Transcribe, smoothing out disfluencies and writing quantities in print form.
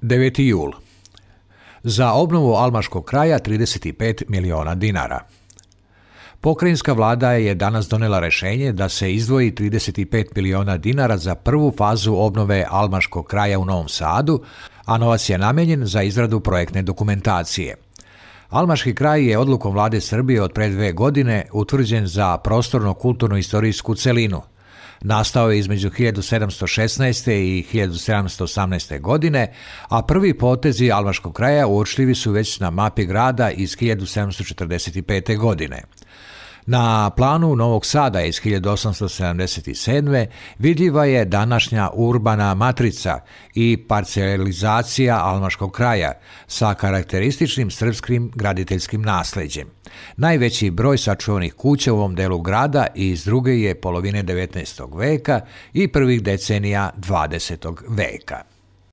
9. jul. Za obnovu Almaškog kraja 35 miliona dinara. Pokrajinska vlada je danas donela rješenje da se izdvoji 35 miliona dinara za prvu fazu obnove Almaškog kraja u Novom Sadu, a novac je namijenjen za izradu projektne dokumentacije. Almaški kraj je odlukom vlade Srbije od pre 2 godine utvrđen za prostorno-kulturno-istorijsku celinu. Nastao je između 1716. i 1718. godine, a prvi potezi Almaškog kraja uočljivi su već na mapi grada iz 1745. godine. Na planu Novog Sada iz 1877. vidljiva je današnja urbana matrica i parcelizacija Almaškog kraja sa karakterističnim srpskim graditeljskim nasleđem. Najveći broj sačuvanih kuća u ovom delu grada iz druge je polovine 19. veka i prvih decenija 20. veka.